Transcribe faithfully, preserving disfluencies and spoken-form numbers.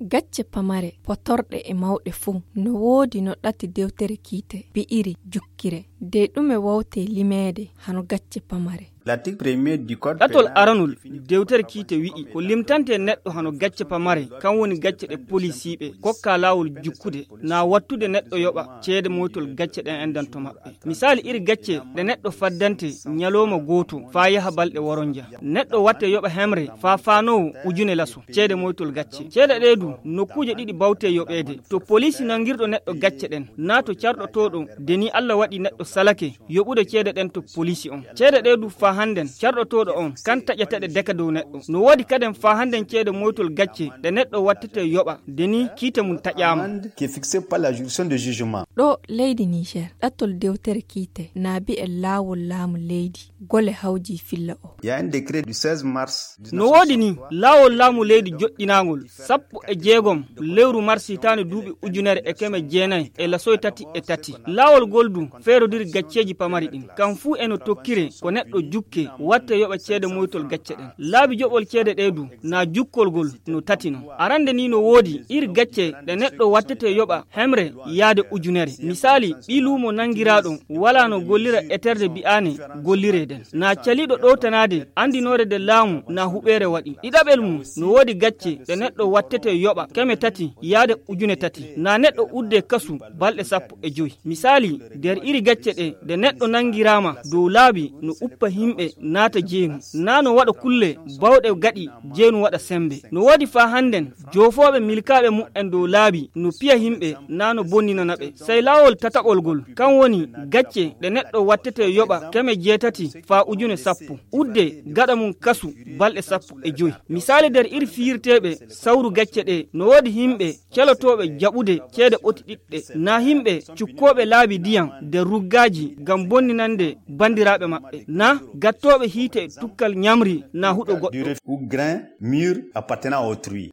Gacce pamare, potorɗe e mawɗe fuu, no woodi no ɗati dewtere kiite bi'iri jukkire. De ɗume wawte limeede hano gacce pamare? Ɗatol aranol dewtere kiite wi'i ko limtante neɗɗo hano gacce pamare, kan woni gacce ɗe polisiiɓe kokka laawol jukkude, na wattude neɗɗo yoɓa ceede moytol gacce ɗen endanto maɓɓe. Misaali, iri gacce ɗe neɗɗo faddante ñalooma gooto faa yaha balɗe woronja. Neɗɗo watte yoɓa hemre faa faanoowo ujune laso ceede moytol gacce. Ceede ɗee du, nokkuuje ɗiɗi bawte yoɓeede: to poliisi nangirɗo neɗɗo gacce ɗen, naa to carɗotooɗo de ni Alla waɗi neɗɗo salake yoɓude ceede ɗen to poliisi on. Ceede ɗee du faa hannden, carɗotooɗo on kan taƴata ɗe deka dow neɗɗo. No woodi kaden faa hannden ceede moytol gacce ɗe neɗɗo wattete yoɓa de ni kiite mum taƴaama. Amende qui est fixée par la juridiction de jugement. Ɗo leydi Niger, ɗatol dewtere kiite na bi'e laawol laamu leydi gole hawji filla o. Il y a un décret du seize mars. No woodi ni, laawol laamu leydi joɗɗinaangol sappo e jeegom lewru mars hitaande duuɓi ujunere e keme jeenayi e lasoy tati e tati. Laawol gol du feerodiri gacceeji pamari ɗin. Kan fuu eno tokkire ko neɗɗo jukke watte yoɓa ceede moytol gacce ɗen. Laabi joɓol ceede ɗee du na jukkolgol no tati non. Arande ni no woodi iri gacce ɗe neɗɗo wattete yoɓa hemre yaade ujunere. Misaali, ɓii luumo nangiraaɗo walaa no gollira eterde bi'aane golliree den. Na caliiɗo ɗowtanaade andinoore de laamu na huɓeere waɗi. Ɗiɗaɓel mum, no woodi gacce ɗe neɗɗo wattete yoɓa keme tati yaade ujune tati. Na neɗɗo udde kasu balɗe sappo e joy. Misaali, der iri gacce ɗe, de neɗɗo nangiraama dow laabi no uppa himɓe naata jeenu, na no waɗa kulle bawɗe gaɗi jeenu waɗa sembe. No woodi faa hannden joofooɓe milkaaɓe mu'en dow laabi no piya himɓe na no bonninana ɓe. Sey laawol tataɓol gol, kan woni gacce ɗe neɗɗo wattete yoɓa keme jeetati faa ujune sappo. Udde gaɗa mum kasu balɗe sappo e joy. Misaali der iri fiyirteeɓe sawru gacce ɗe, no woodi himɓe calotooɓe jaɓude ceede ɓoti ɗiɗɗe, na himɓe cukkooɓe laabi diyan der ruggaaji gam bonninande bandiraaɓe maɓɓe, na gattooɓe hiite e tukkal ñamri na huɗo goɗɗo. Ou grain mûr appartenant à autrui.